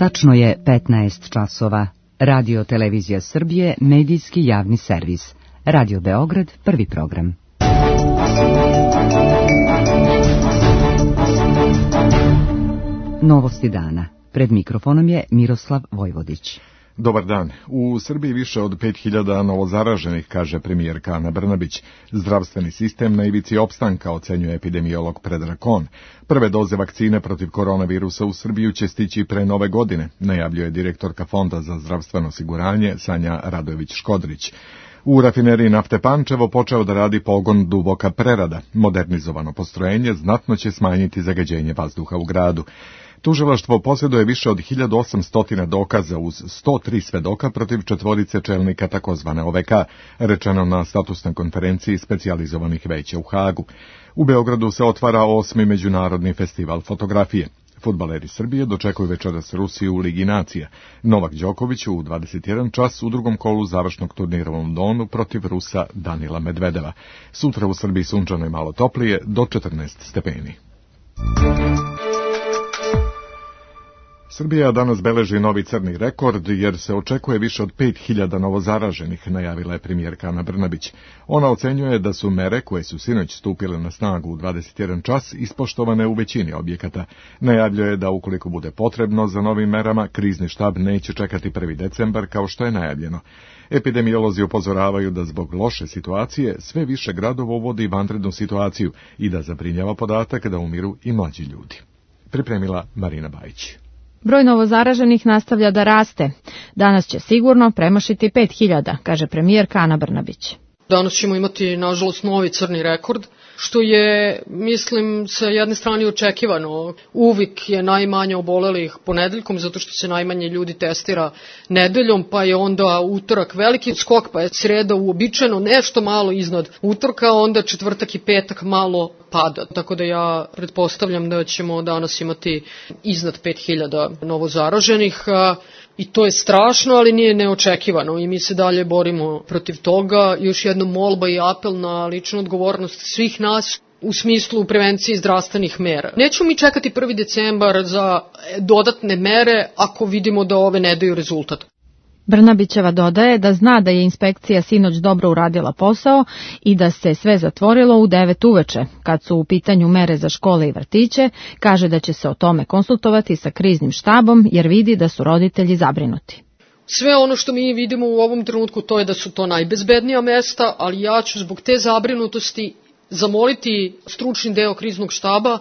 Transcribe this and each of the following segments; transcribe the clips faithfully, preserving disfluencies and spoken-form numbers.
Tačno je petnaest časova. Radio Televizija Srbije, medijski javni servis. Radio Beograd, prvi program. Novosti dana. Pred mikrofonom je Miroslav Vojvodić. Dobar dan. U Srbiji više od pet hiljada novozaraženih, kaže premijerka Ana Brnabić. Zdravstveni sistem na ivici opstanka, ocenjuje epidemiolog Predrag Kon. Prve doze vakcine protiv koronavirusa u Srbiju će stići pre nove godine, najavljuje direktorka Fonda za zdravstveno osiguranje Sanja Radojević-Škodrić. U rafineriji nafte Pančevo počeo da radi pogon Duboka prerada. Modernizovano postrojenje znatno će smanjiti zagađenje vazduha u gradu. Tužilaštvo posjeduje više od hiljadu osamsto dokaza uz sto tri svedoka protiv četvorice čelnika takozvane O V K, rečeno na statusnoj konferenciji specijalizovanih veća u Hagu. U Beogradu se otvara osmi međunarodni festival fotografije. Fudbaleri Srbije dočekuju večeras Rusiju u Ligi nacija. Novak Đoković u dvadeset jedan čas u drugom kolu završnog turnira u Londonu protiv Rusa Danila Medvedeva. Sutra u Srbiji sunčano i malo toplije, do četrnaest stepeni. Srbija danas beleži novi crni rekord jer se očekuje više od pet hiljada novozaraženih, najavila je premijerka Ana Brnabić. Ona ocenjuje da su mere koje su sinoć stupile na snagu u dvadeset jedan čas ispoštovane u većini objekata. Najavljuje da ukoliko bude potrebno za novim merama, krizni štab neće čekati prvi decembar kao što je najavljeno. Epidemiolozi upozoravaju da zbog loše situacije sve više gradova uvodi vanrednu situaciju i da zabrinjava podatak da umiru i mlađi ljudi. Pripremila Marina Bajić. Broj novozaraženih nastavlja da raste. Danas će sigurno premašiti pet hiljada, kaže premijerka Ana Brnabić. Danas ćemo imati, nažalost, novi crni rekord, što je, mislim, sa jedne strane očekivano. Uvijek je najmanje obolelih ponedeljkom, zato što se najmanje ljudi testira nedeljom, pa je onda utorak veliki skok, pa je sreda uobičajeno nešto malo iznad utorka, onda četvrtak i petak malo pada. Tako da ja pretpostavljam da ćemo danas imati iznad pet hiljada novozaraženih. I to je strašno, ali nije neočekivano i mi se dalje borimo protiv toga. Još jedna molba i apel na ličnu odgovornost svih nas u smislu prevencije zdravstvenih mera. Nećemo mi čekati prvi decembar za dodatne mere ako vidimo da ove ne daju rezultat. Brnabićeva dodaje da zna da je inspekcija sinoć dobro uradila posao i da se sve zatvorilo u devet uveče. Kad su u pitanju mere za škole i vrtiće, kaže da će se o tome konsultovati sa kriznim štabom jer vidi da su roditelji zabrinuti. Sve ono što mi vidimo u ovom trenutku to je da su to najbezbednija mesta, ali ja ću zbog te zabrinutosti zamoliti stručni deo kriznog štaba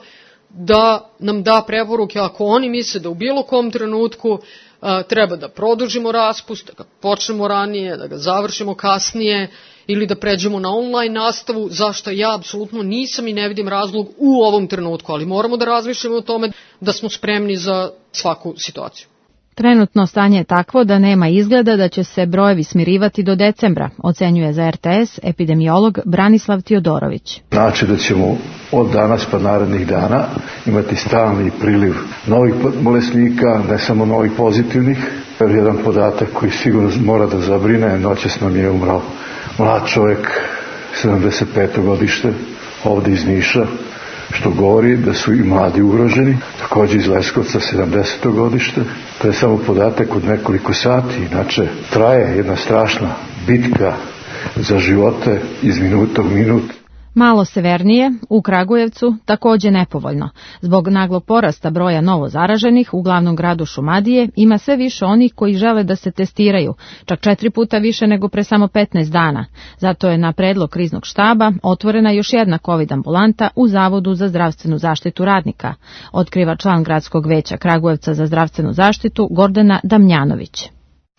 da nam da preporuke ako oni misle da u bilo kom trenutku a, treba da produžimo raspust, da ga počnemo ranije, da ga završimo kasnije ili da pređemo na online nastavu, zašto ja apsolutno nisam i ne vidim razlog u ovom trenutku, ali moramo da razmišljamo o tome da smo spremni za svaku situaciju. Trenutno stanje je takvo da nema izgleda da će se brojevi smirivati do decembra, ocenjuje za R T S epidemiolog Branislav Tiodorović. Znači da ćemo od danas pa narednih dana imati stalni priliv novih bolesnika, ne samo novih pozitivnih. Jedan podatak koji sigurno mora da zabrine, noćas nam je umrao mlad čovjek, sedamdeset peto godište, ovdje iz Niša, što govori da su i mladi ugroženi, također iz Leskovca sedamdeseto godište. To je samo podatak od nekoliko sati, inače traje jedna strašna bitka za živote iz minuta u minut. Malo severnije, u Kragujevcu, također nepovoljno. Zbog naglog porasta broja novo zaraženih u glavnom gradu Šumadije ima sve više onih koji žele da se testiraju, čak četiri puta više nego pre samo petnaest dana. Zato je na predlog kriznog štaba otvorena još jedna COVID ambulanta u Zavodu za zdravstvenu zaštitu radnika, otkriva član gradskog veća Kragujevca za zdravstvenu zaštitu Gordana Damjanović.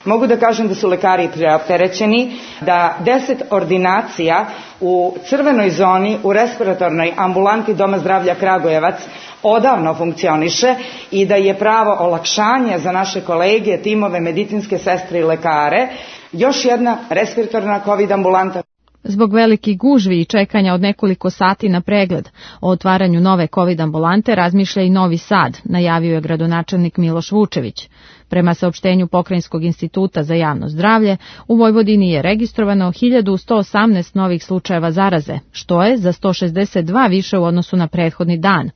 Mogu da kažem da su lekari preopterećeni, da deset ordinacija u crvenoj zoni u respiratornoj ambulanti Doma zdravlja Kragujevac odavno funkcioniše i da je pravo olakšanje za naše kolege, timove, medicinske sestre i lekare još jedna respiratorna COVID ambulanta. Zbog velikih gužvi i čekanja od nekoliko sati na pregled o otvaranju nove COVID ambulante razmišlja i Novi Sad, najavio je gradonačelnik Miloš Vučević. Prema saopštenju Pokrajinskog instituta za javno zdravlje, u Vojvodini je registrovano hiljadu sto osamnaest novih slučajeva zaraze, što je za sto šezdeset dva više u odnosu na prethodni dan.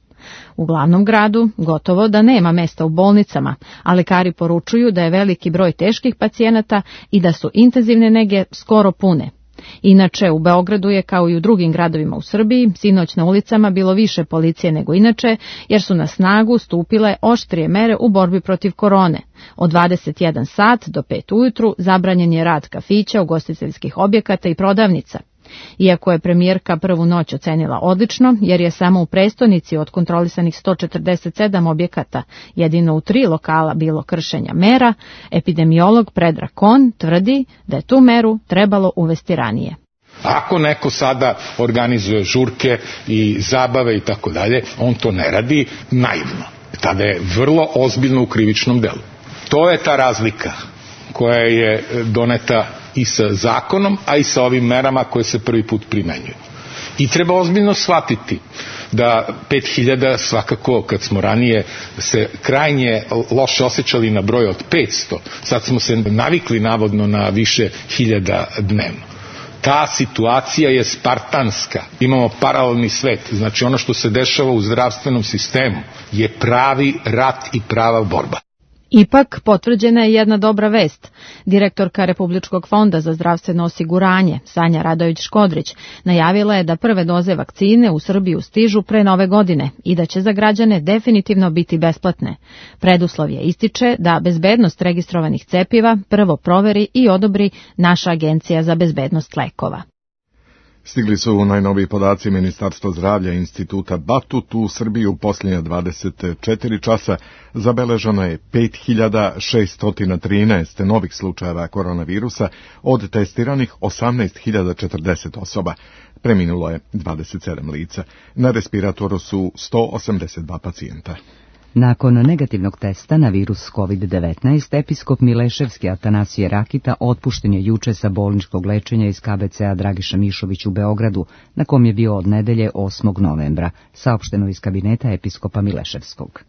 U glavnom gradu gotovo da nema mesta u bolnicama, a lekari poručuju da je veliki broj teških pacijenata i da su intenzivne nege skoro pune. Inače, u Beogradu je, kao i u drugim gradovima u Srbiji, sinoć na ulicama bilo više policije nego inače, jer su na snagu stupile oštrije mere u borbi protiv korone. Od dvadeset jedan sat do pet ujutru zabranjen je rad kafića, ugostiteljskih objekata i prodavnica. Iako je premijerka prvu noć ocenila odlično, jer je samo u prestonici od kontrolisanih sto četrdeset sedam objekata jedino u tri lokala bilo kršenja mera, epidemiolog Predrag Kon tvrdi da je tu meru trebalo uvesti ranije. Ako neko sada organizuje žurke i zabave i tako dalje, on to ne radi naivno. Tada je vrlo ozbiljno u krivičnom delu. To je ta razlika koja je doneta i sa zakonom, a i sa ovim merama koje se prvi put primenjuju. I treba ozbiljno shvatiti da pet hiljada svakako, kad smo ranije se krajnje loše osjećali na broj od petsto, sad smo se navikli navodno na više hiljada dnevno. Ta situacija je spartanska. Imamo paralelni svet. Znači ono što se dešava u zdravstvenom sistemu je pravi rat i prava borba. Ipak, potvrđena je jedna dobra vest. Direktorka Republičkog fonda za zdravstveno osiguranje, Sanja Radović-Škodrić, najavila je da prve doze vakcine u Srbiju stižu pre nove godine i da će za građane definitivno biti besplatne. Preduslov je ističe da bezbednost registrovanih cepiva prvo proveri i odobri naša Agencija za bezbednost lekova. Stigli su najnoviji podaci Ministarstva zdravlja i Instituta Batut. U Srbiji u posljednja dvadeset četiri časa zabeleženo je pet hiljada šesto trinaest novih slučajeva koronavirusa, od testiranih osamnaest hiljada četrdeset osoba. Preminulo je dvadeset sedam lica. Na respiratoru su sto osamdeset dva pacijenta. Nakon negativnog testa na virus kovid devetnaest, episkop Mileševski Atanasije Rakita otpušten je juče sa bolničkog lečenja iz K B C-a Dragiša Mišović u Beogradu, na kom je bio od nedelje osmog novembra, saopšteno iz kabineta episkopa Mileševskog.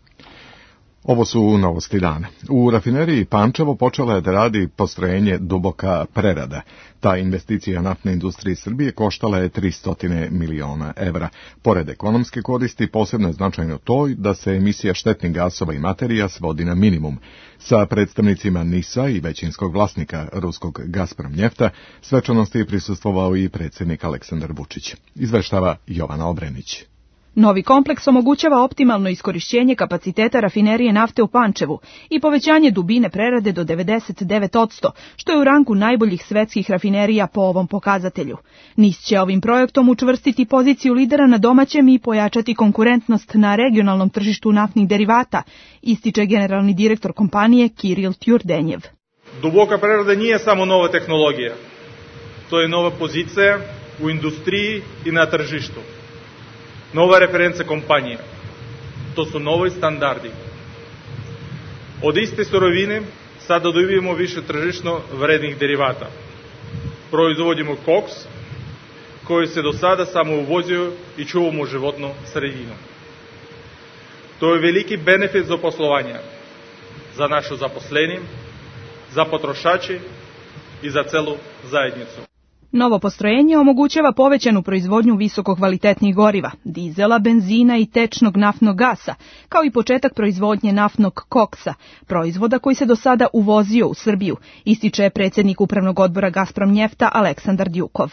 Ovo su novosti dana. U rafineriji Pančevo počela je da radi postrojenje Duboka prerada. Ta investicija naftne industrije Srbije koštala je tristo miliona evra. Pored ekonomske koristi, posebno je značajno to da se emisija štetnih gasova i materija svodi na minimum. Sa predstavnicima NIS-a i većinskog vlasnika ruskog Gazprom Njefta svečanosti je prisustvovao i predsjednik Aleksandar Vučić. Izveštava Jovana Obrenić. Novi kompleks omogućava optimalno iskorišćenje kapaciteta rafinerije nafte u Pančevu i povećanje dubine prerade do devedeset devet posto, što je u rangu najboljih svetskih rafinerija po ovom pokazatelju. NIS će ovim projektom učvrstiti poziciju lidera na domaćem i pojačati konkurentnost na regionalnom tržištu naftnih derivata, ističe generalni direktor kompanije Kiril Tjurdenjev. Duboka prerada nije samo nova tehnologija. To je nova pozicija u industriji i na tržištu. Nova referenca kompanije. To su novi standardi. Od iste surovine sada dobijemo više tržišno vrednih derivata. Proizvodimo koks, koji se do sada samo uvozio i čuvamo životnu sredinu. To je veliki benefit za poslovanje, za našu zaposleni, za potrošači i za celu zajednicu. Novo postrojenje omogućava povećanu proizvodnju visokokvalitetnih goriva, dizela, benzina i tečnog naftnog gasa, kao i početak proizvodnje naftnog koksa, proizvoda koji se do sada uvozio u Srbiju, ističe predsjednik Upravnog odbora Gazprom Njefta Aleksandar Djukov.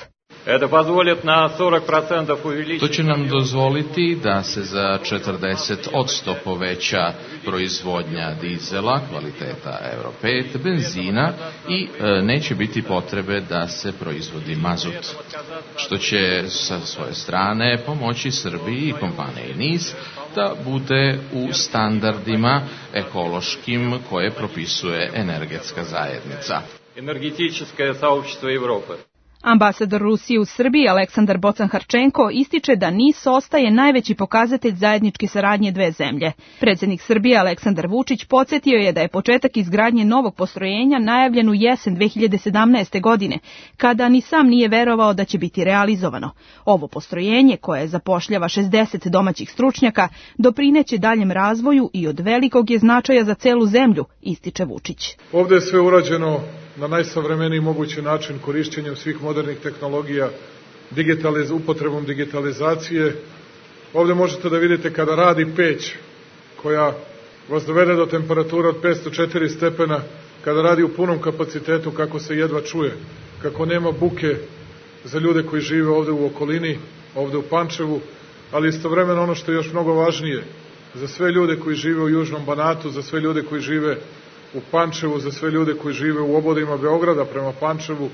To će nam dozvoliti da se za četrdeset posto poveća proizvodnja dizela, kvaliteta Euro pet, benzina i e, neće biti potrebe da se proizvodi mazut, što će sa svoje strane pomoći Srbiji i kompaniji NIS da bude u standardima ekološkim koje propisuje energetska zajednica. Energetička saopštvo Evrope. Ambasador Rusije u Srbiji Aleksandar Bocan-Harčenko ističe da NIS ostaje najveći pokazatelj zajedničke saradnje dve zemlje. Predsjednik Srbije Aleksandar Vučić podsjetio je da je početak izgradnje novog postrojenja najavljen u jesen dve hiljade sedamnaeste. godine, kada ni sam nije verovao da će biti realizovano. Ovo postrojenje, koje zapošljava šezdeset domaćih stručnjaka, doprineće daljem razvoju i od velikog je značaja za celu zemlju, ističe Vučić. Ovdje je sve urađeno na najsavremeniji mogući način, korišćenjem svih modernih tehnologija, digitaliz, upotrebom digitalizacije Ovdje možete da vidite kada radi peć koja vas dovede do temperature od petsto četiri stepena, kada radi u punom kapacitetu, kako se jedva čuje, kako nema buke za ljude koji žive ovde u okolini, ovde u Pančevu, ali istovremeno ono što je još mnogo važnije, za sve ljude koji žive u Južnom Banatu, za sve ljude koji žive u Pančevu, za sve ljude koji žive u obodima Beograda prema Pančevu,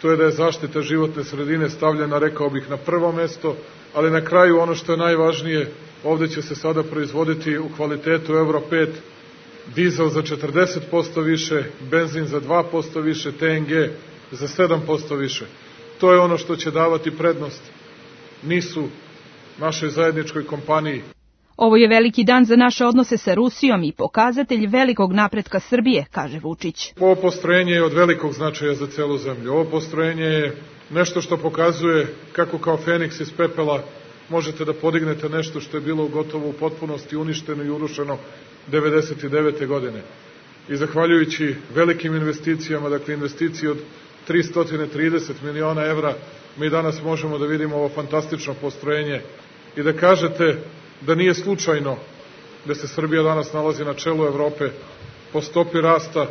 to je da je zaštita životne sredine stavljena, rekao bih, na prvo mesto, ali na kraju ono što je najvažnije, ovde će se sada proizvoditi u kvalitetu Euro pet dizel za četrdeset posto više, benzin za dva posto više, T N G za sedam posto više. To je ono što će davati prednost nisu našoj zajedničkoj kompaniji. Ovo je veliki dan za naše odnose sa Rusijom i pokazatelj velikog napretka Srbije, kaže Vučić. Ovo postrojenje je od velikog značaja za celu zemlju. Ovo postrojenje je nešto što pokazuje kako kao Feniks iz pepela možete da podignete nešto što je bilo gotovo u potpunosti uništeno i urušeno devedeset devete godine. I zahvaljujući velikim investicijama, dakle investiciji od tristo trideset miliona evra, mi danas možemo da vidimo ovo fantastično postrojenje i da kažete da nije slučajno da se Srbija danas nalazi na čelu Evrope po stopi rasta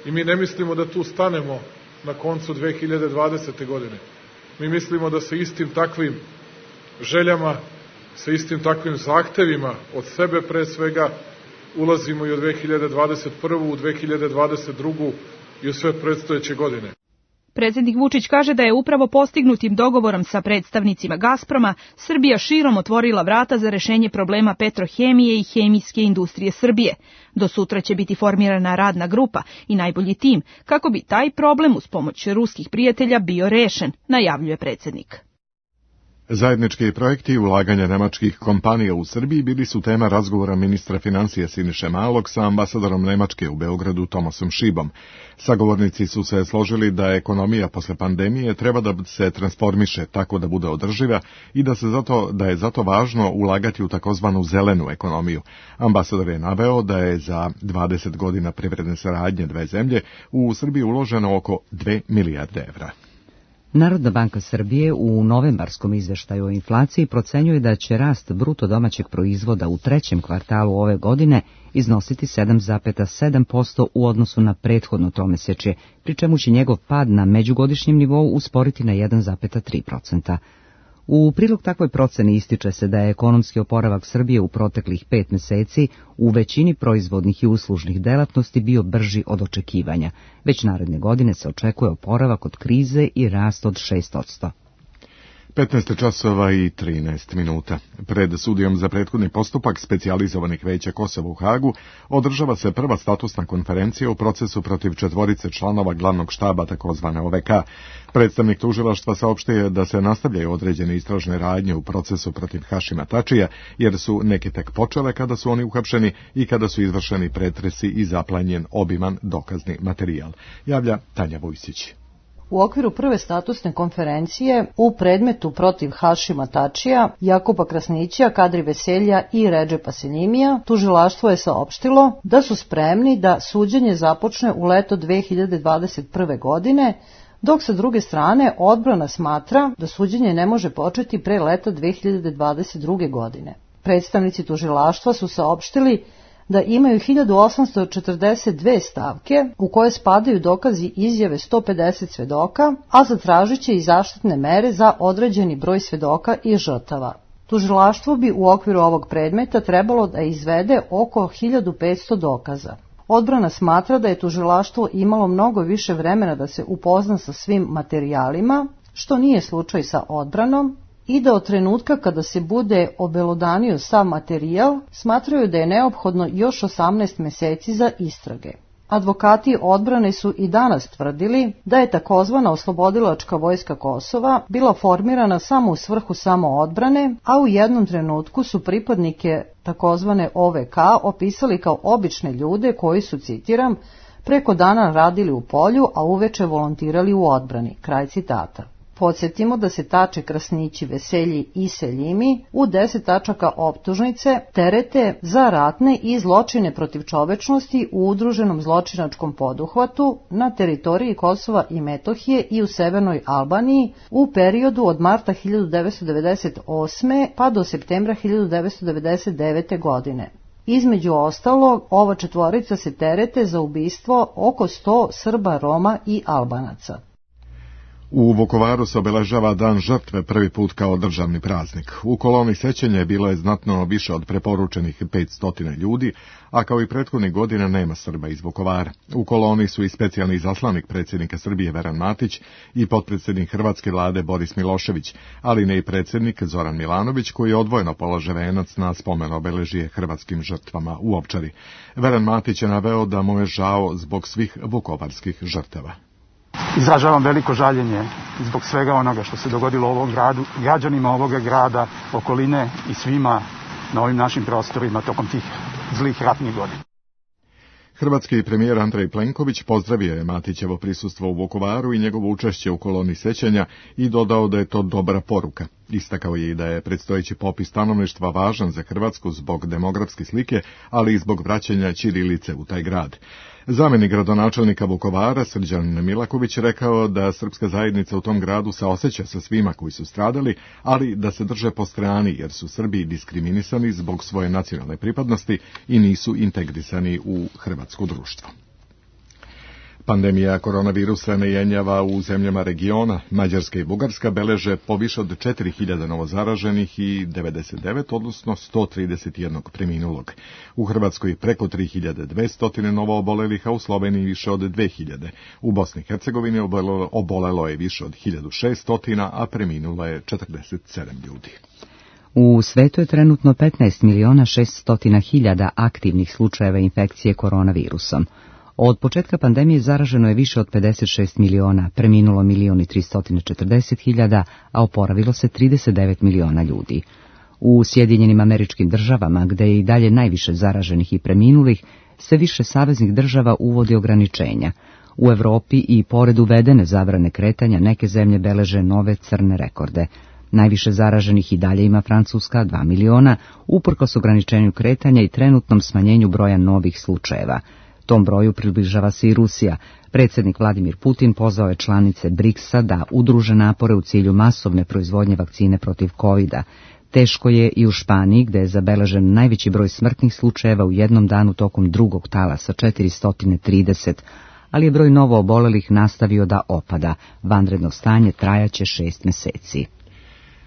i mi ne mislimo da tu stanemo na koncu dve hiljade dvadesete godine. Mi mislimo da sa istim takvim željama, sa istim takvim zahtevima od sebe pre svega ulazimo i u dve hiljade dvadeset prvu, u dve hiljade dvadeset drugu i u sve predstojeće godine. Predsjednik Vučić kaže da je upravo postignutim dogovorom sa predstavnicima Gazproma Srbija širom otvorila vrata za rešenje problema petrohemije i hemijske industrije Srbije. Do sutra će biti formirana radna grupa i najbolji tim kako bi taj problem uz pomoć ruskih prijatelja bio rešen, najavljuje predsjednik. Zajednički projekti i ulaganja nemačkih kompanija u Srbiji bili su tema razgovora ministra financija Siniše Malog sa ambasadorom Nemačke u Beogradu Tomasom Šibom. Sagovornici su se složili da ekonomija posle pandemije treba da se transformiše tako da bude održiva i da se zato da je zato važno ulagati u takozvanu zelenu ekonomiju. Ambasador je naveo da je za dvadeset godina privredne saradnje dve zemlje u Srbiji uloženo oko dve milijarde evra. Narodna banka Srbije u novembarskom izveštaju o inflaciji procenjuje da će rast bruto domaćeg proizvoda u trećem kvartalu ove godine iznositi sedam zarez sedam posto u odnosu na prethodno tromesečje, pri čemu će njegov pad na međugodišnjem nivou usporiti na jedan zarez tri posto. U prilog takvoj proceni ističe se da je ekonomski oporavak Srbije u proteklih pet meseci u većini proizvodnih i uslužnih delatnosti bio brži od očekivanja. Već naredne godine se očekuje oporavak od krize i rast od šest posto. petnaest časova i trinaest minuta. Pred sudijom za prethodni postupak specijalizovanih veća Kosova u Hagu održava se prva statusna konferencija u procesu protiv četvorice članova glavnog štaba takozvane O V K. Predstavnik tužilaštva saopštio da se nastavljaju određene istražne radnje u procesu protiv Hašima Tačija, jer su neke tek počele kada su oni uhapšeni i kada su izvršeni pretresi i zaplanjen obiman dokazni materijal. Javlja Tanja Vujsić. U okviru prve statusne konferencije u predmetu protiv Hašima Tačija, Jakuba Krasnića, Kadri Veselja i Redžepa Seljimija, tužilaštvo je saopštilo da su spremni da suđenje započne u leto dve hiljade dvadeset prve godine, dok sa druge strane odbrana smatra da suđenje ne može početi pre leta dve hiljade dvadeset druge godine. Predstavnici tužilaštva su saopštili da imaju hiljadu osamsto četrdeset dve stavke u koje spadaju dokazi izjave sto pedeset svedoka, a zatražit će i zaštitne mere za određeni broj svedoka i žrtava. Tužilaštvo bi u okviru ovog predmeta trebalo da izvede oko hiljadu petsto dokaza. Odbrana smatra da je tužilaštvo imalo mnogo više vremena da se upozna sa svim materijalima, što nije slučaj sa odbranom, i da od trenutka kada se bude obelodanio sav materijal, smatraju da je neophodno još osamnaest meseci za istrage. Advokati odbrane su i danas tvrdili da je takozvana oslobodilačka vojska Kosova bila formirana samo u svrhu samoodbrane, a u jednom trenutku su pripadnike takozvane O V K opisali kao obične ljude koji su, citiram, preko dana radili u polju, a uveče volontirali u odbrani. Kraj citata. Podsjetimo da se Tače, Krasnići, Veselji i Seljimi u deset tačaka optužnice terete za ratne i zločine protiv čovečnosti u udruženom zločinačkom poduhvatu na teritoriji Kosova i Metohije i u Severnoj Albaniji u periodu od marta hiljadu devetsto devedeset osme pa do septembra hiljadu devetsto devedeset devete. godine. Između ostalog, ova četvorica se terete za ubistvo oko sto Srba, Roma i Albanaca. U Vukovaru se obeležava Dan žrtve prvi put kao državni praznik. U koloni sećanja bilo je znatno više od preporučenih petsto ljudi, a kao i prethodnih godina nema Srba iz Vukovara. U koloni su i specijalni izaslanik predsjednika Srbije Veran Matić i potpredsjednik hrvatske vlade Boris Milošević, ali ne i predsjednik Zoran Milanović koji je odvojeno polože venac na spomen obeležije hrvatskim žrtvama u Ovčari. Veran Matić je naveo da mu je žao zbog svih vukovarskih žrtava. Izražavam veliko žaljenje zbog svega onoga što se dogodilo u ovom gradu, građanima ovoga grada, okoline i svima na ovim našim prostorima tokom tih zlih ratnih godina. Hrvatski premijer Andrej Plenković pozdravio je Matićevo prisustvo u Vukovaru i njegovo učešće u koloni sećanja i dodao da je to dobra poruka. Istakao je i da je predstojeći popis stanovništva važan za Hrvatsku zbog demografske slike, ali i zbog vraćanja ćirilice u taj grad. Zamjenik gradonačelnika Vukovara, Srđan Milaković, rekao da srpska zajednica u tom gradu se osjeća sa svima koji su stradali, ali da se drže po strani jer su Srbi diskriminisani zbog svoje nacionalne pripadnosti i nisu integrisani u hrvatsko društvo. Pandemija koronavirusa ne jenjava u zemljama regiona. Mađarska i Bugarska beleže po više od četiri hiljade novozaraženih i devedeset devet, odnosno sto trideset jedan preminulog. U Hrvatskoj preko tri hiljade dvesta novo obolelih, a u Sloveniji više od dve hiljade. U Bosni i Hercegovini obolelo, obolelo je više od hiljadu šeststo, a preminulo je četrdeset sedam ljudi. U svetu je trenutno petnaest miliona šesto hiljada aktivnih slučajeva infekcije koronavirusom. Od početka pandemije zaraženo je više od pedeset šest miliona, preminulo milion i tristo četrdeset hiljada, a oporavilo se trideset devet miliona ljudi. U Sjedinjenim Američkim Državama, gde je i dalje najviše zaraženih i preminulih, sve više saveznih država uvodi ograničenja. U Evropi i pored uvedene zabrane kretanja neke zemlje beleže nove crne rekorde. Najviše zaraženih i dalje ima Francuska, dva miliona, uprkos ograničenju kretanja i trenutnom smanjenju broja novih slučajeva. Tom broju približava se i Rusija. Predsjednik Vladimir Putin pozvao je članice briksa da udruže napore u cilju masovne proizvodnje vakcine protiv kovida. Teško je i u Španiji, gde je zabeležen najveći broj smrtnih slučajeva u jednom danu tokom drugog talasa, četiristo trideset, ali je broj novo obolelih nastavio da opada. Vanredno stanje trajaće šest meseci.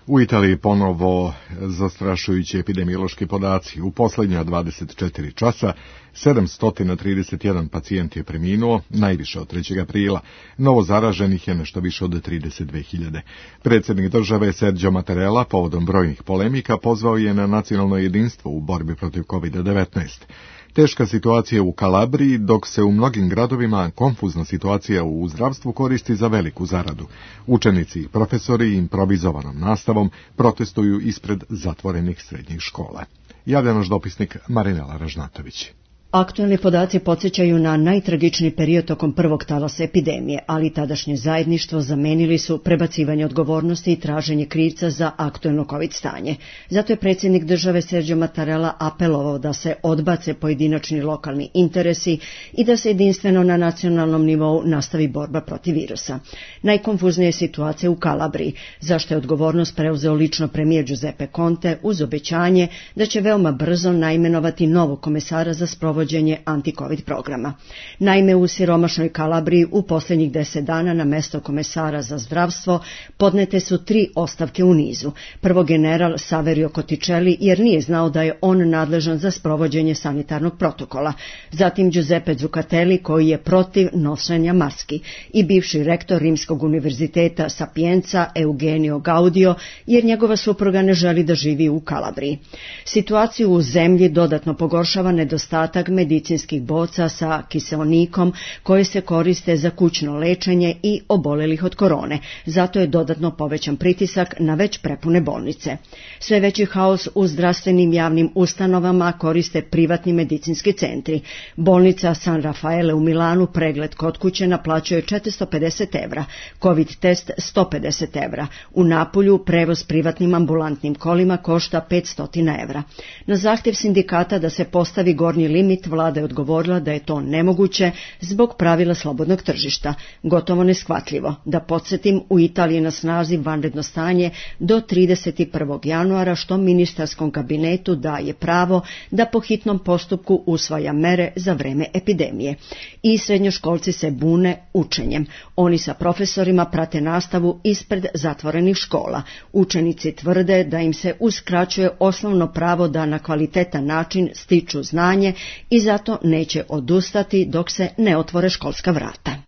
U Italiji ponovo zastrašujući epidemiološki podaci. U posljednja dvadeset četiri časa sedamsto trideset jedan pacijent je preminuo, najviše od trećeg aprila. Novo zaraženih je nešto više od trideset dve hiljade. Predsjednik države Sergio Mattarella povodom brojnih polemika pozvao je na nacionalno jedinstvo u borbi protiv kovid devetnaest. Teška situacija u Kalabriji, dok se u mnogim gradovima konfuzna situacija u zdravstvu koristi za veliku zaradu. Učenici i profesori improvizovanom nastavom protestuju ispred zatvorenih srednjih škola. Javlja naš dopisnik Marinela Ražnatović. Aktualni podaci podsjećaju na najtragičniji period tokom prvog talasa epidemije, ali tadašnje zajedništvo zamenili su prebacivanje odgovornosti i traženje krivca za aktualno COVID stanje. Zato je predsjednik države Sergio Mattarella apelovao da se odbace pojedinačni lokalni interesi i da se jedinstveno na nacionalnom nivou nastavi borba protiv virusa. Najkonfuznija je situacija u Kalabriji, zašto je odgovornost preuzeo lično premijer Giuseppe Conte uz obećanje da će veoma brzo naimenovati novog komesara za sprovođenje anti-COVID programa. Naime, u siromašnoj Kalabriji u posljednjih deset dana na mesto komesara za zdravstvo podnete su tri ostavke u nizu. Prvo general Saverio Cotticelli jer nije znao da je on nadležan za sprovođenje sanitarnog protokola. Zatim Giuseppe Zuccatelli koji je protiv nošenja maski i bivši rektor Rimskog univerziteta Sapienza Eugenio Gaudio jer njegova supruga ne želi da živi u Kalabriji. Situaciju u zemlji dodatno pogoršava nedostatak desetak medicinskih boca sa kiseonikom koje se koriste za kućno lečenje i obolelih od korone. Zato je dodatno povećan pritisak na već prepune bolnice. Sve veći haos u zdravstvenim javnim ustanovama koriste privatni medicinski centri. Bolnica San Rafaele u Milanu pregled kod kuće naplaćuje četiristo pedeset evra, COVID test sto pedeset evra. U Napulju prevoz privatnim ambulantnim kolima košta petsto evra. Na zahtjev sindikata da se postavi gornji limit, vlada je odgovorila da je to nemoguće zbog pravila slobodnog tržišta. Gotovo neshvatljivo. Da podsjetim, u Italiji na snazi vanredno stanje do trideset prvog januara, što ministarskom kabinetu daje pravo da po hitnom postupku usvaja mere za vreme epidemije. I srednjoškolci se bune učenjem. Oni sa profesorima prate nastavu ispred zatvorenih škola. Učenici tvrde da im se uskraćuje osnovno pravo da na kvalitetan način stiču znanje i zato neće odustati dok se ne otvore školska vrata.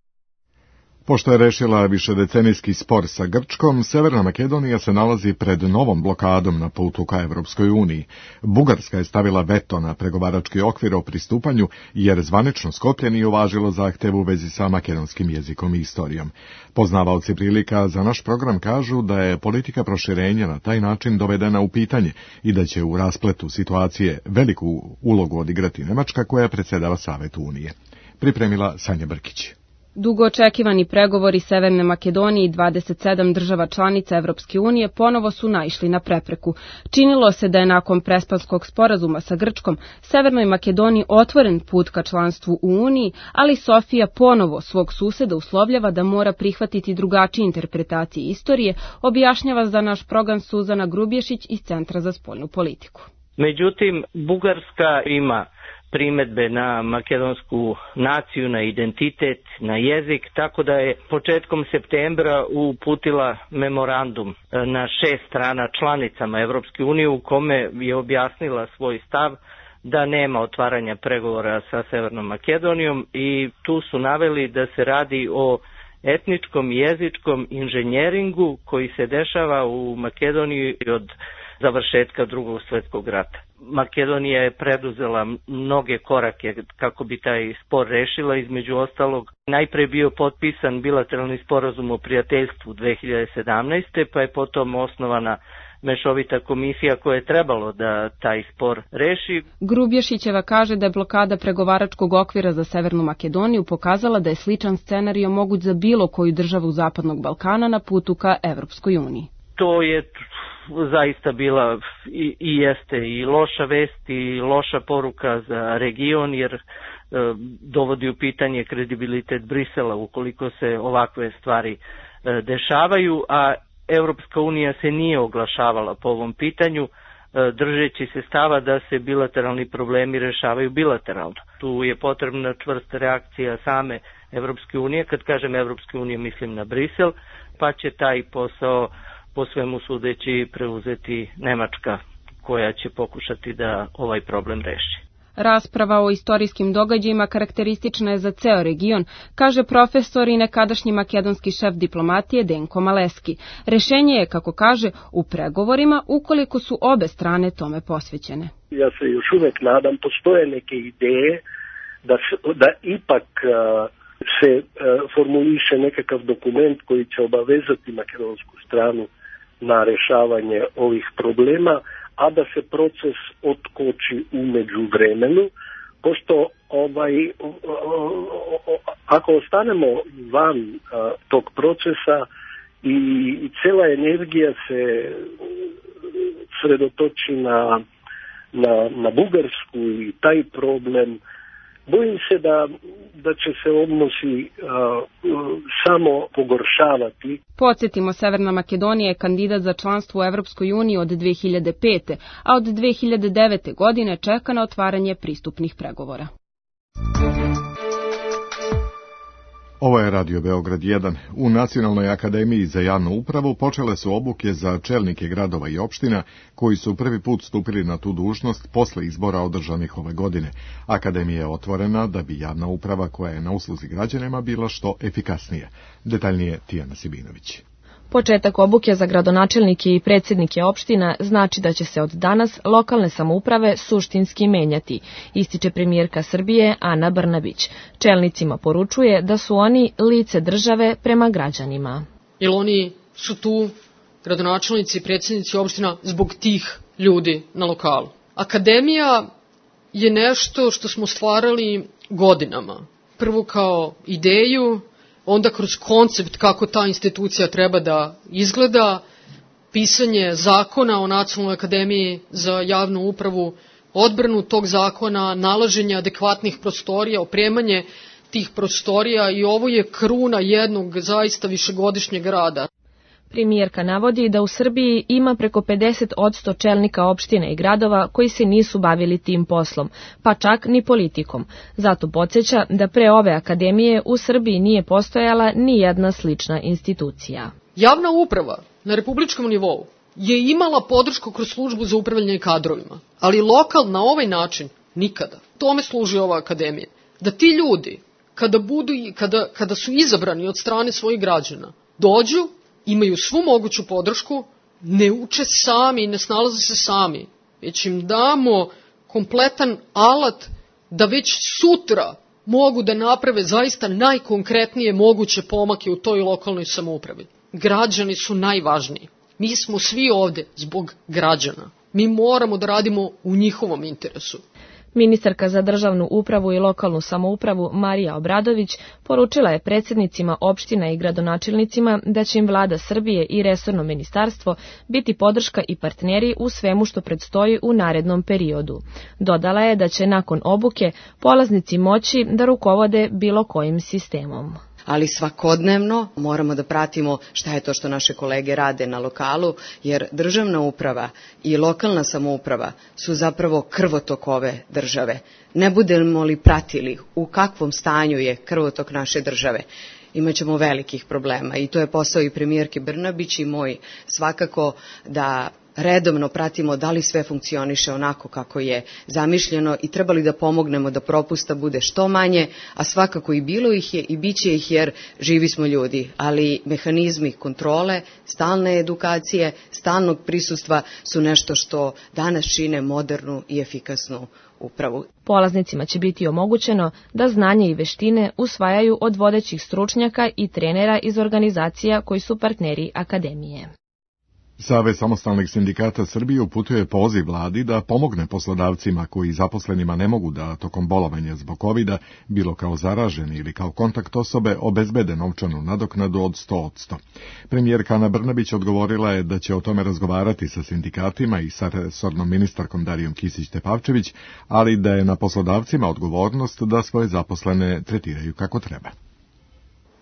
Pošto je rešila višedecenijski spor sa Grčkom, Severna Makedonija se nalazi pred novom blokadom na putu ka Evropskoj uniji. Bugarska je stavila veto na pregovarački okvir o pristupanju, jer zvanično Skoplje nije uvažilo zahtev u vezi sa makedonskim jezikom i istorijom. Poznavaoci prilika za naš program kažu da je politika proširenja na taj način dovedena u pitanje i da će u raspletu situacije veliku ulogu odigrati Nemačka, koja predsjedava Savetu Unije. Pripremila Sanja Brkić. Dugo očekivani pregovori Severne Makedonije i dvadeset sedam država članica Evropske unije ponovo su naišli na prepreku. Činilo se da je nakon Prespanskog sporazuma sa Grčkom Severnoj Makedoniji otvoren put ka članstvu u Uniji, ali Sofija ponovo svog suseda uslovljava da mora prihvatiti drugačije interpretacije istorije, objašnjava za naš program Suzana Grubješić iz Centra za spoljnu politiku. Međutim, Bugarska ima primedbe na makedonsku naciju, na identitet, na jezik, tako da je početkom septembra uputila memorandum na šest strana članicama Evropske unije u kome je objasnila svoj stav da nema otvaranja pregovora sa Severnom Makedonijom i tu su naveli da se radi o etničkom i jezičkom inženjeringu koji se dešava u Makedoniji od završetka Drugog svjetskog rata. Makedonija je preduzela mnoge korake kako bi taj spor rešila, između ostalog. Najpre bio potpisan bilateralni sporazum o prijateljstvu dve hiljade sedamnaeste. pa je potom osnovana mešovita komisija koja je trebalo da taj spor reši. Grubješićeva kaže da je blokada pregovaračkog okvira za Severnu Makedoniju pokazala da je sličan scenario moguć za bilo koju državu Zapadnog Balkana na putu ka Evropskoj uniji. To je zaista bila i, i jeste i loša vest i loša poruka za region, jer e, dovodi u pitanje kredibilitet Brisela ukoliko se ovakve stvari e, dešavaju, a Evropska unija se nije oglašavala po ovom pitanju, e, držeći se stava da se bilateralni problemi rešavaju bilateralno. Tu je potrebna čvrsta reakcija same Evropske unije, kad kažem Evropske unije mislim na Brisel, pa će taj posao po svemu sudeći preuzeti Nemačka, koja će pokušati da ovaj problem reši. Rasprava o istorijskim događajima karakteristična je za ceo region, kaže profesor i nekadašnji makedonski šef diplomatije Denko Maleski. Rešenje je, kako kaže, u pregovorima ukoliko su obe strane tome posvećene. Ja se još uvek nadam, postoje neke ideje da, da ipak uh, se uh, formuliše nekakav dokument koji će obavezati makedonsku stranu na rešavanje ovih problema, a da se proces otkoči u međuvremenu, pošto ovaj, ako ostanemo van a, tog procesa i, i cela energija se sredotoči na, na, na Bugarsku i taj problem, bojim se da, da će se odnosi a, samo pogoršavati. Podsjetimo, Severna Makedonija je kandidat za članstvo u Evropskoj uniji od dve hiljade pete. a od dve hiljade devete. godine čeka na otvaranje pristupnih pregovora. Ovo je Radio Beograd jedan. U Nacionalnoj akademiji za javnu upravu počele su obuke za čelnike gradova i opština koji su prvi put stupili na tu dužnost posle izbora održanih ove godine. Akademija je otvorena da bi javna uprava koja je na usluzi građanima bila što efikasnija. Detaljnije Tijana Sibinović. Početak obuke za gradonačelnike i predsjednike opština znači da će se od danas lokalne samouprave suštinski menjati, ističe premijerka Srbije Ana Brnabić. Čelnicima poručuje da su oni lice države prema građanima. Jer oni su tu, gradonačelnici i predsjednici opština, zbog tih ljudi na lokalu. Akademija je nešto što smo stvarali godinama. Prvo kao ideju, onda kroz koncept kako ta institucija treba da izgleda, pisanje zakona o Nacionalnoj akademiji za javnu upravu, odbranu tog zakona, nalaženje adekvatnih prostorija, opremanje tih prostorija i ovo je kruna jednog zaista višegodišnjeg rada. Premijerka navodi da u Srbiji ima preko pedeset posto čelnika opština i gradova koji se nisu bavili tim poslom, pa čak ni politikom. Zato podsjeća da pre ove akademije u Srbiji nije postojala ni jedna slična institucija. Javna uprava na republičkom nivou je imala podršku kroz službu za upravljanje kadrovima, ali lokal na ovaj način nikada. Tome služi ova akademija. Da ti ljudi, kada, budu, kada, kada su izabrani od strane svojih građana, dođu, imaju svu moguću podršku, ne uče sami, ne snalaze se sami, već im damo kompletan alat da već sutra mogu da naprave zaista najkonkretnije moguće pomake u toj lokalnoj samoupravi. Građani su najvažniji. Mi smo svi ovde zbog građana. Mi moramo da radimo u njihovom interesu. Ministarka za državnu upravu i lokalnu samoupravu Marija Obradović poručila je predsjednicima opština i gradonačelnicima da će im vlada Srbije i resorno ministarstvo biti podrška i partneri u svemu što predstoji u narednom periodu. Dodala je da će nakon obuke polaznici moći da rukovode bilo kojim sistemom. Ali svakodnevno moramo da pratimo šta je to što naše kolege rade na lokalu, jer državna uprava i lokalna samouprava su zapravo krvotok ove države. Ne budemo li pratili u kakvom stanju je krvotok naše države, imaćemo velikih problema i to je posao i premijerke Brnabić i moj svakako da redovno pratimo da li sve funkcioniše onako kako je zamišljeno i trebali da pomognemo da propusta bude što manje, a svakako i bilo ih je i bit će ih jer živi smo ljudi, ali mehanizmi kontrole, stalne edukacije, stalnog prisustva su nešto što danas čine modernu i efikasnu upravu. Polaznicima će biti omogućeno da znanje i veštine usvajaju od vodećih stručnjaka i trenera iz organizacija koji su partneri akademije. Savez samostalnih sindikata Srbije uputuje poziv vladi da pomogne poslodavcima koji zaposlenima ne mogu da tokom bolovanja zbog kovida, bilo kao zaraženi ili kao kontakt osobe, obezbede novčanu nadoknadu od sto posto. Premijerka Ana Brnabić odgovorila je da će o tome razgovarati sa sindikatima i sa resornom ministarkom Darijom Kisić-Tepavčević, ali da je na poslodavcima odgovornost da svoje zaposlene tretiraju kako treba.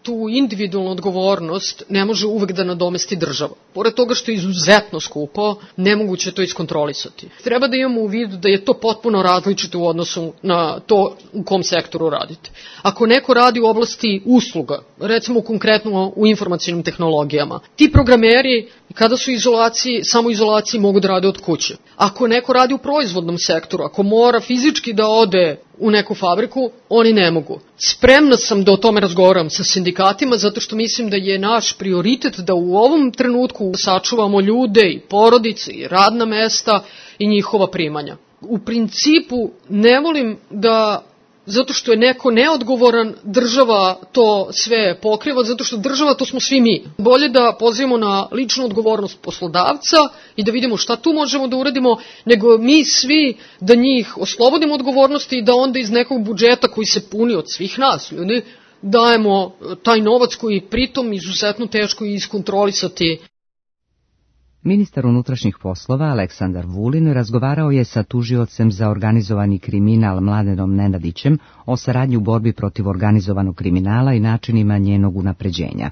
Tu individualnu odgovornost ne može uvek da nadomesti država. Pored toga što je izuzetno skupo, nemoguće je to iskontrolisati. Treba da imamo u vidu da je to potpuno različito u odnosu na to u kom sektoru radite. Ako neko radi u oblasti usluga, recimo konkretno u informacionim tehnologijama, ti programeri kada su u izolaciji, samo izolaciji mogu da rade od kuće. Ako neko radi u proizvodnom sektoru, ako mora fizički da ode u neku fabriku, oni ne mogu. Spremna sam da o tome razgovaram sa sindikatima, zato što mislim da je naš prioritet da u ovom trenutku sačuvamo ljude i porodice i radna mesta i njihova primanja. U principu ne volim da, zato što je neko neodgovoran, država to sve pokriva, zato što država to smo svi mi. Bolje da pozivamo na ličnu odgovornost poslodavca i da vidimo šta tu možemo da uradimo, nego mi svi da njih oslobodimo odgovornosti i da onda iz nekog budžeta koji se puni od svih nas ljudi, dajemo taj novac koji pritom izuzetno teško iskontrolisati. Ministar unutrašnjih poslova Aleksandar Vulin razgovarao je sa tužiocem za organizovani kriminal Mladenom Nenadićem o saradnji u borbi protiv organizovanog kriminala i načinima njenog unapređenja.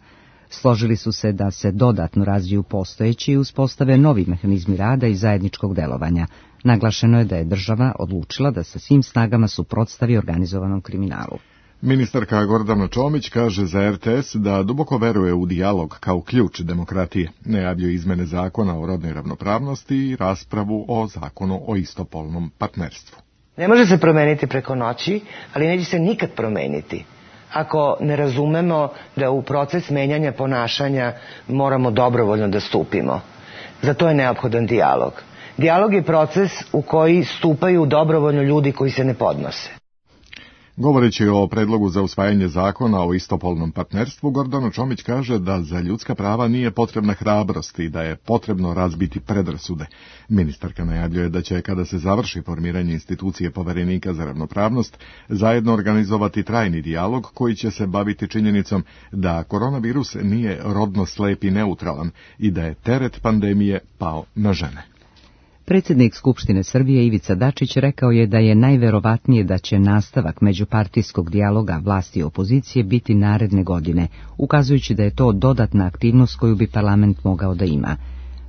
Složili su se da se dodatno razviju postojeći i uspostave novi mehanizmi rada i zajedničkog delovanja. Naglašeno je da je država odlučila da sa svim snagama suprotstavi organizovanom kriminalu. Ministarka Gordana Čomić kaže za er te es da duboko veruje u dijalog kao ključ demokratije. Najavljuje izmene zakona o rodnoj ravnopravnosti i raspravu o zakonu o istopolnom partnerstvu. Ne može se promeniti preko noći, ali neće se nikad promeniti. ako ne razumemo da u proces menjanja ponašanja moramo dobrovoljno da stupimo. Za to je neophodan dijalog. Dijalog je proces u koji stupaju dobrovoljno ljudi koji se ne podnose. Govoreći o predlogu za usvajanje zakona o istopolnom partnerstvu, Gordana Čomić kaže da za ljudska prava nije potrebna hrabrost i da je potrebno razbiti predrasude. Ministarka najavljuje da će, kada se završi formiranje institucije Poverenika za ravnopravnost, zajedno organizovati trajni dijalog koji će se baviti činjenicom da koronavirus nije rodno slep i neutralan i da je teret pandemije pao na žene. Predsjednik Skupštine Srbije Ivica Dačić rekao je da je najverovatnije da će nastavak međupartijskog dijaloga vlasti i opozicije biti naredne godine, ukazujući da je to dodatna aktivnost koju bi parlament mogao da ima.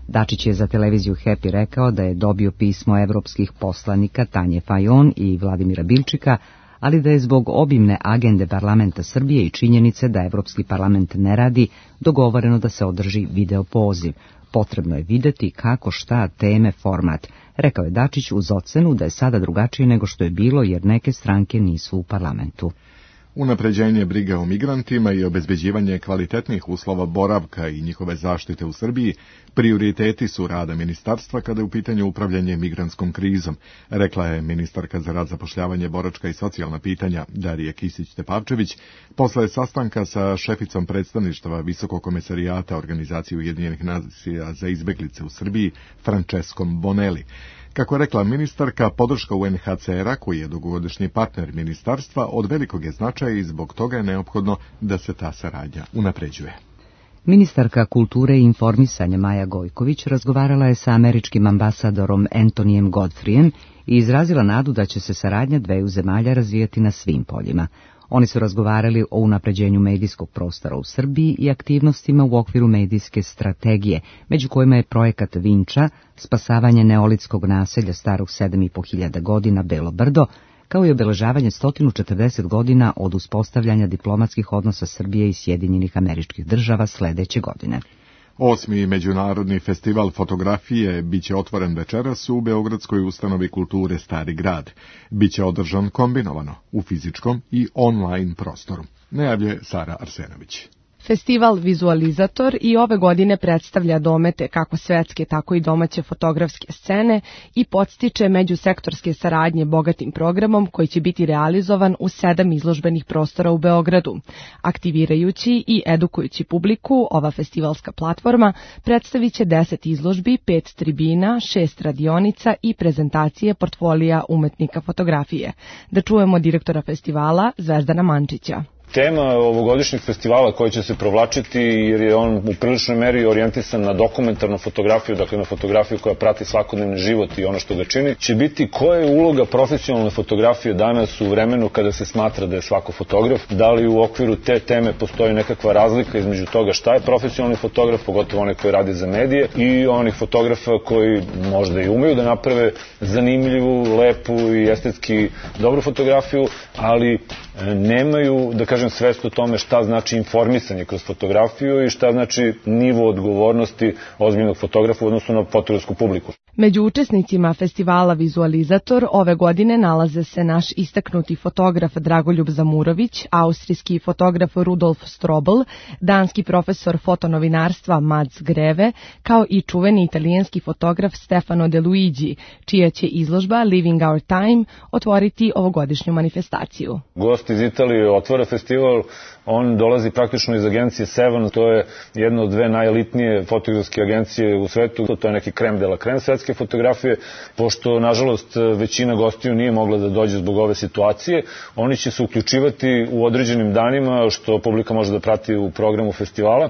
Dačić je za televiziju Happy rekao da je dobio pismo evropskih poslanika Tanje Fajon i Vladimira Bilčika, ali da je zbog obimne agende parlamenta Srbije i činjenice da Evropski parlament ne radi, dogovoreno da se održi video poziv. Potrebno je videti kako, šta, teme, format, rekao je Dačić uz ocenu da je sada drugačije nego što je bilo jer neke stranke nisu u parlamentu. Unapređenje brige o migrantima i obezbeđivanje kvalitetnih uslova boravka i njihove zaštite u Srbiji prioriteti su rada ministarstva kada je u pitanju upravljanje migrantskom krizom, rekla je ministarka za rad, zapošljavanje, boračka i socijalna pitanja Darija Kisić-Tepavčević posle sastanka sa šeficom predstavništva Visokog komesarijata Organizacije Ujedinjenih nacija za izbeglice u Srbiji Franceskom Bonelli. Kako je rekla ministarka, podrška U N H C R-a, koji je dugogodišnji partner ministarstva, od velikog je značaja i zbog toga je neophodno da se ta saradnja unapređuje. Ministarka kulture i informisanja Maja Gojković razgovarala je sa američkim ambasadorom Antonijem Godfrijem i izrazila nadu da će se saradnja dveju zemalja razvijati na svim poljima. Oni su razgovarali o unapređenju medijskog prostora u Srbiji i aktivnostima u okviru medijske strategije, među kojima je projekat Vinča, spasavanje neolitskog naselja starog sedam i po hiljada godina Belo Brdo, kao i obeležavanje sto četrdeset godina od uspostavljanja diplomatskih odnosa Srbije i Sjedinjenih Američkih Država sledeće godine. Osmi međunarodni festival fotografije biće otvoren večeras u Beogradskoj ustanovi kulture Stari grad. Biće održan kombinovano u fizičkom i online prostoru. Najavljuje Sara Arsenović. Festival Vizualizator i ove godine predstavlja domete kako svetske, tako i domaće fotografske scene i podstiče međusektorske saradnje bogatim programom koji će biti realizovan u sedam izložbenih prostora u Beogradu. Aktivirajući i edukujući publiku, ova festivalska platforma predstavit će deset izložbi, pet tribina, šest radionica i prezentacije portfolija umetnika fotografije. Da čujemo direktora festivala Zvezdana Mančića. Tema ovogodišnjeg festivala koji će se provlačiti, jer je on u priličnoj meri orijentisan na dokumentarnu fotografiju, dakle na fotografiju koja prati svakodnevni život i ono što ga čini, će biti koja je uloga profesionalne fotografije danas u vremenu kada se smatra da je svako fotograf, da li u okviru te teme postoji nekakva razlika između toga šta je profesionalni fotograf, pogotovo onaj koji radi za medije, i onih fotografa koji možda i umeju da naprave zanimljivu, lepu i estetski dobru fotografiju, ali nemaju, da kažem, svest o tome šta znači informisanje kroz fotografiju i šta znači nivo odgovornosti ozbiljnog fotografa u odnosu na fotografsku publiku. Među učesnicima festivala Vizualizator ove godine nalaze se naš istaknuti fotograf Dragoljub Zamurović, austrijski fotograf Rudolf Strobl, danski profesor fotonovinarstva Mads Greve, kao i čuveni italijanski fotograf Stefano De Luigi, čija će izložba Living Our Time otvoriti ovogodišnju manifestaciju. Gost iz Italije otvara festival, on dolazi praktično iz agencije Seven, to je jedna od dve najelitnije fotografske agencije u svetu, to je neki krem de la krem svetske fotografije. Pošto, nažalost, većina gostiju nije mogla da dođe zbog ove situacije, oni će se uključivati u određenim danima, što publika može da prati u programu festivala,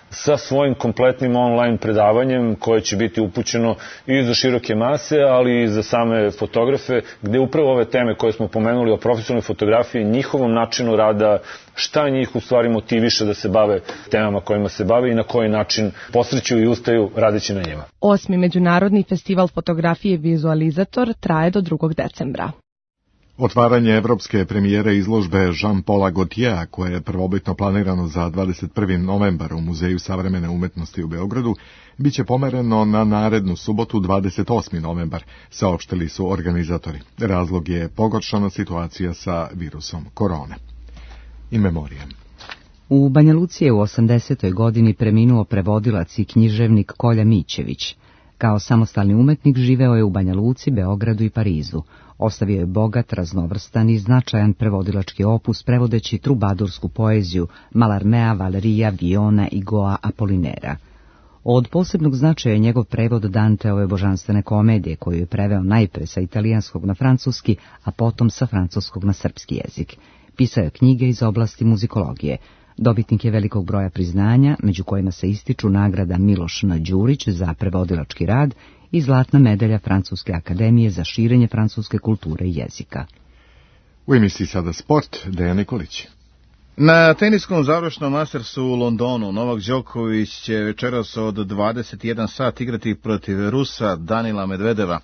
sa svojim kompletnim online predavanjem koje će biti upućeno i za široke mase, ali i za same fotografe, gde upravo ove teme koje smo pomenuli o profesionalnoj fotografiji, njihovom načinu rada, šta njih u stvari motiviše da se bave temama kojima se bave i na koji način posreću i ustaju radeći na njima. Osmi međunarodni festival fotografije Vizualizator traje do drugog decembra. Otvaranje evropske premijere izložbe Jean-Paula Gaultiera, koje je prvobitno planirano za dvadeset prvi novembar u Muzeju savremene umetnosti u Beogradu, biće pomereno na narednu subotu dvadeset osmi novembar, saopštili su organizatori. Razlog je pogoršana situacija sa virusom korone. in memoriam. U Banja Luci je u osamdesetoj godini preminuo prevodilac i književnik Kolja Mićević. Kao samostalni umetnik živeo je u Banja Luci, Beogradu i Parizu. Ostavio je bogat, raznovrstan i značajan prevodilački opus prevodeći trubadursku poeziju Malarmea, Valerija, Viona i Goa Apolinera. Od posebnog značaja je njegov prevod Danteove božanstvene komedije, koju je preveo najpre sa italijanskog na francuski, a potom sa francuskog na srpski jezik. Pisao je knjige iz oblasti muzikologije. Dobitnik je velikog broja priznanja, među kojima se ističu nagrada Miloš N. Đurić za prevodilački rad i zlatna medalja Francuske akademije za širenje francuske kulture i jezika. U emisiji Sada sport, Dejan Nikolić. Na teniskom završnom Mastersu u Londonu Novak Đoković će večeras od dvadeset jedan sat igrati protiv Rusa Danila Medvedeva.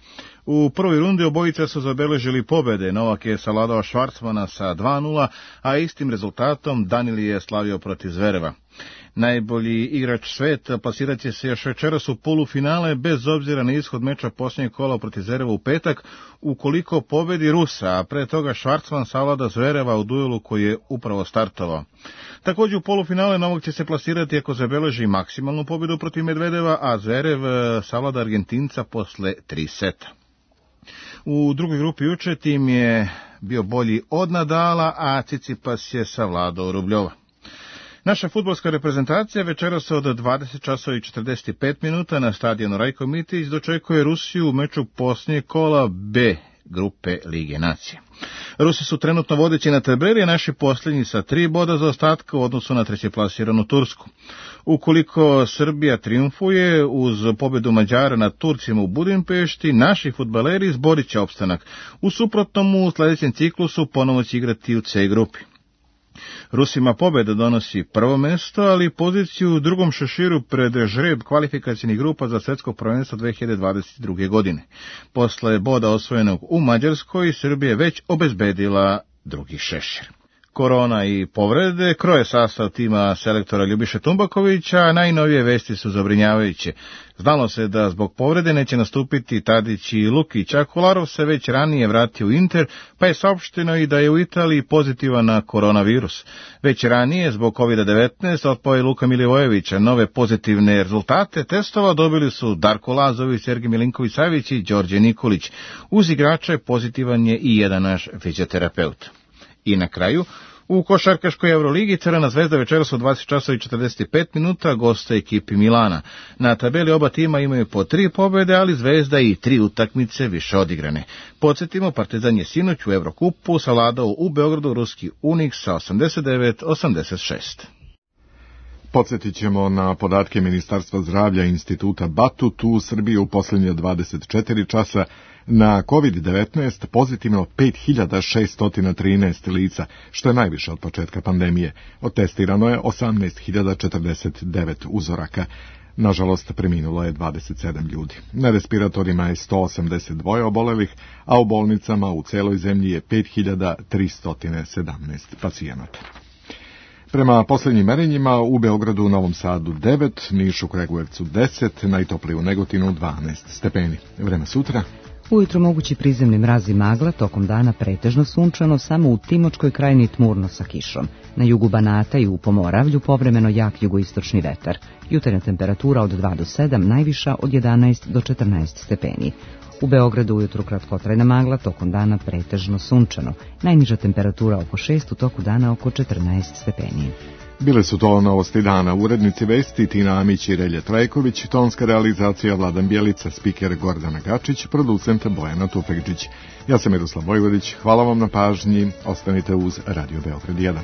U prvoj rundi obojica su zabeležili pobjede. Novak je savladao Švarcmana sa dva nula, a istim rezultatom Danil je slavio protiv Zvereva. Najbolji igrač sveta plasirat će se još večeras u polufinale bez obzira na ishod meča posljednjeg kola protiv Zvereva u petak, ukoliko pobedi Rusa, a pre toga Švarcman savlada Zvereva u duelu koji je upravo startovao. Također u polufinale Novak će se plasirati ako zabeleži maksimalnu pobjedu protiv Medvedeva, a Zverev savlada Argentinca posle tri seta. U drugoj grupi juče tim je bio bolji od Nadala, a Cicipas je savladao Rubljova. Naša fudbalska reprezentacija večeras od dvadeset časova i četrdeset pet minuta na stadionu Rajko Mitić dočekuje Rusiju u meču posljednjeg kola B grupe Lige nacija. Rusi su trenutno vodeći na tabeli, a naši posljednji sa tri boda za ostatka u odnosu na trećeplasiranu Tursku. Ukoliko Srbija triumfuje uz pobjedu Mađara nad Turcima u Budimpešti, naši fudbaleri izborit će opstanak. U suprotnom u sljedećem ciklusu ponovo će igrati u C grupi. Rusima pobjeda donosi prvo mjesto, ali poziciju u drugom šeširu pred žreb kvalifikacijnih grupa za svjetsko prvenstvo dve hiljade dvadeset druge. godine. Posle boda osvojenog u Mađarskoj, Srbija je već obezbedila drugi šešir. Korona i povrede kroje sastav tima selektora Ljubiše Tumbakovića, a najnovije vesti su zabrinjavajuće. Znalo se da zbog povrede neće nastupiti Tadić i Lukić, a Kolarov se već ranije vratio u Inter, pa je saopšteno i da je u Italiji pozitivan na koronavirus. Već ranije, zbog kovid devetnaest, otpao je Luka Milivojevića. Nove pozitivne rezultate testova dobili su Darko Lazović, Sergej Milinković-Savić i Đorđe Nikolić. Uz igrače pozitivan je i jedan naš fizioterapeut. I na kraju, u košarkaškoj Euroligi Crvena zvezda večeras od dvadeset časova i četrdeset pet minuta goste ekipi Milana. Na tabeli oba tima imaju po tri pobjede, ali Zvezda i tri utakmice više odigrane. Podsjetimo, Partizan je sinoć u Evrokupu savladao u Beogradu ruski Unik sa osamdeset devet osamdeset šest. Podsjetit ćemo na podatke Ministarstva zdravlja i Instituta Batut. U Srbiji u posljednje dvadeset četiri časa na kovid devetnaest pozitivno pet hiljada šesto trinaest lica, što je najviše od početka pandemije. Otestirano je osamnaest hiljada četrdeset devet uzoraka. Nažalost, preminulo je dvadeset sedam ljudi. Na respiratorima je sto osamdeset dva obolelih, a u bolnicama u celoj zemlji je pet hiljada tristo sedamnaest pacijenata. Prema posljednjim merenjima u Beogradu, Novom Sadu devet, Nišu, Kragujevcu deset, najtoplije u Negotinu dvanaest stepeni. Vreme sutra. Ujutro mogući prizemni mraz i magla, tokom dana pretežno sunčano, samo u Timočkoj krajini tmurno sa kišom. Na jugu Banata i u Pomoravlju povremeno jak jugoistočni vetar. Jutarnja temperatura od dva do sedam, najviša od jedanaest do četrnaest stepeni. U Beogradu ujutru kratkotrajna magla, tokom dana pretežno sunčano. Najniža temperatura oko šest, u toku dana oko četrnaest stepeni. Bile su to novosti dana. Urednici vesti Tina Amić i Relje Trajković, tonska realizacija Vladan Bjelica, spiker Gordana Gačić, producent Bojana Tufekđić. Ja sam Miroslav Vojvodić, hvala vam na pažnji, ostanite uz Radio Beograd jedan.